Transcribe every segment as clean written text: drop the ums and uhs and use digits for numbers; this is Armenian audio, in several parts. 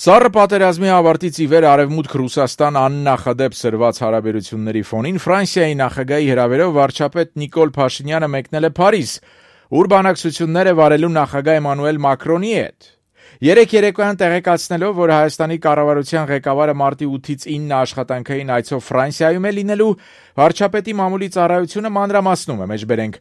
Սառը պատերազմի ավարտից ի վեր Արևմուտք Ռուսաստան աննախադեպ սրված հարաբերությունների ֆոնին Ֆրանսիայի նախագահի հրավերով վարչապետ Նիկոլ Փաշինյանը մեկնել է Փարիզ, ուր բանակցություններ է վարելու նախագահ Էմանուել Մակրոնի հետ։ Երեկ երեկոյան տեղեկացնելով, որ Հայաստանի կառավարության ղեկավարը մարտի 8-ից 9 աշխատանքային այցով Ֆրանսիայում է լինելու, վարչապետի մամուլի ծառայությունը մանրամասնում է, մեջբերենք,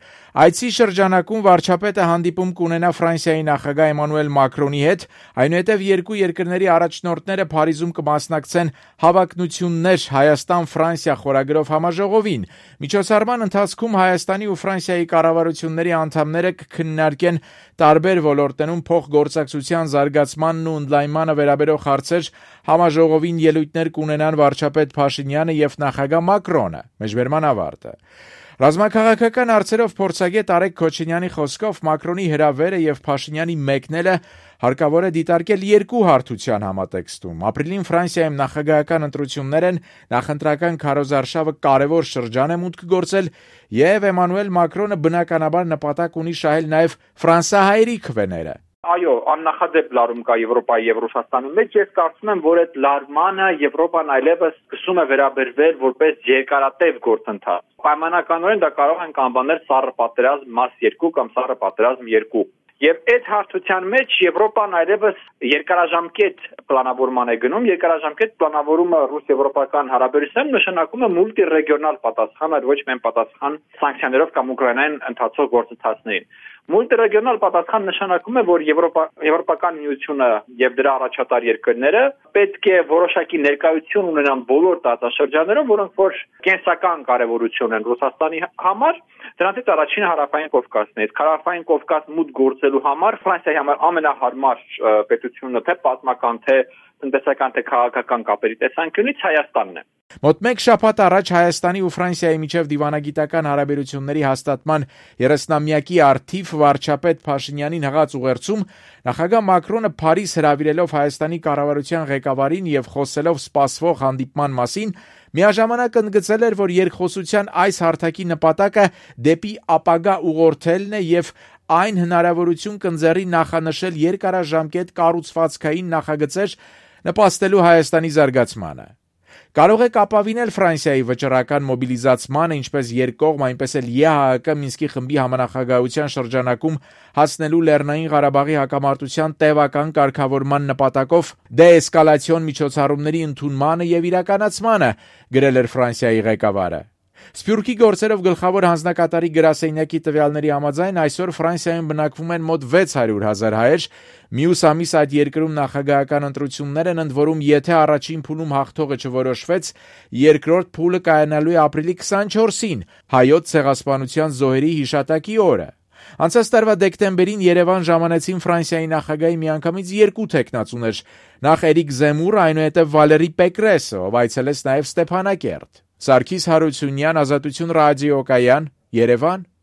այցի շրջանակում վարչապետը հանդիպում կունենա Ֆրանսիայի նախագահ Էմանուել Մակրոնի հետ, այնուհետև երկու երկրների առաջնորդները Փարիզում կմասնակցեն «Հավակնություններ Հայաստան-Ֆրանսիա» խորագրով համաժողովին։ Միջոցառման ընթացքում Հայաստանի ու Ֆրանսիայի կառավարությունների անդամները կքննարկեն տարբեր ոլորտներում փոխգործակցության զարգացմանն ու ընդլայնմանը վերաբերող հարցեր, համաժողովին ելույթներ կունենան վարչապետ Փաշինյանը և նախագահ Մակրոնը։ Մեջբերման ավարտը։ Ռազմաքաղաքական հարցերով փորձագետ Արեգ Քոչինյանի խոսքով Մակրոնի հրավերը և Փաշինյանի մեկնելը հարկավոր է դիտարկել երկու հարթության համատեքստում։ Ապրիլին Ֆրանսիայում նախագահական ընտրություններ են, նախընտրական քարոզարշավը կարևոր շրջան է մուտք գործել, և Էմանուել Մակրոնը բնականաբար նպատակ ունի շահել նաև ֆրանսահայերի քվեները։ Այո, աննախադեպ լարում կա Եվրոպայի եւ Ռուսաստանի մեջ։ Ես կարծում եմ, որ այդ լարմանը Եվրոպան այլևս սկսում է վերաբերվել որպես երկարատև գործընթաց։ Պայմանականորեն դա կարող ենք անվանել սառը պատերազմ մաս 2 կամ սառը պատերազմ 2։ Եվ այդ հարթության մեջ Եվրոպան այլևս երկարաժամկետ պլանավորման է գնում, երկարաժամկետ պլանավորումը ռուս-եվրոպական հարաբերություններում նշանակում է մուլտիրեգիոնալ պատասխան, այլ ոչ միայն պատասխան սանկցիաներով կամ ուկրաինային ընթացող գործընթացներին։ Մուլտիրեգիոնալ պատասխան նշանակում է, որ Եվրոպական միությունը եւ դրա առաջատար երկրները պետք է որոշակի ներկայություն ունենան բոլոր տարածաշրջաններում, որոնք որ կենսական կարեւորություն են Ռուսաստանի համար, դրանցից առաջինը Հարավային Կովկասն է։ Հարավային Կովկաս մուտք գործելու համար Ֆրանսիայի համար ամենահարմար պետությունը թե պատմական, թե տնտեսական, թե քաղաքական կապերի տեսանկյունից Հայաստանն է։ Մոտ մեկ շաբաթ առաջ Հայաստանի ու Ֆրանսիայի միջև դիվանագիտական հարաբերությունների հաստատման 30-ամյակի առթիվ վարչապետ Փաշինյանին հղած ուղերձում նախագահ Մակրոնը Փարիզ հրավիրելով Հայաստանի կառավարության ղեկավարին եւ խոսելով սպասվող հանդիպման մասին, միաժամանակ ընդգծել էր, որ երկխոսության այս հարթակի նպատակը դեպի ապագա ուղղորդելն է եւ այն հնարավորություն կընձեռի նախանշել երկարաժամկետ կառուցվածքային նախագծեր նպաստելու Հայաստանի զարգացմանը։ Կարող եք ապավինել Ֆրանսիայի վճռական մոբիլիզացմանը ինչպես երկկողմ, այնպես էլ ԵԱՀԿ Մինսկի խմբի համանախագահության շրջանակում հասնելու Լեռնային Ղարաբաղի հակամարտության տևական կարգավորման նպատակով դեէսկալացիոն միջոցառումների ընդունմանը եւ իրականացմանը, գրել էր Ֆրանսիայի ղեկավարը։ Սփյուռքի գործերով գլխավոր հանձնակատարի գրասենյակի տվյալների համաձայն այսօր Ֆրանսիայում բնակվում են մոտ 600,000 հայեր, մյուս ամիս այդ երկրում նախագահական ընտրություններ են, ընդ որում եթե առաջին փուլում հաղթողը չորոշվեց, երկրորդ փուլը կայանալու է ապրիլի 24-ին, հայոց ցեղասպանության զոհերի հիշատակի օրը։ Անցած տարվա դեկտեմբերին Երևան ժամանեցին Ֆրանսիայի նախագահի միանգամից երկու թեկնածուներ, նախ Էրիկ Զեմուրը, այնուհետև Վալերի Պեկրեսը, ով այցելեց նաև Ստեփանակերտ։ Սարգիս Հարությունյան, Ազատություն ռադիոկայան, Երևան։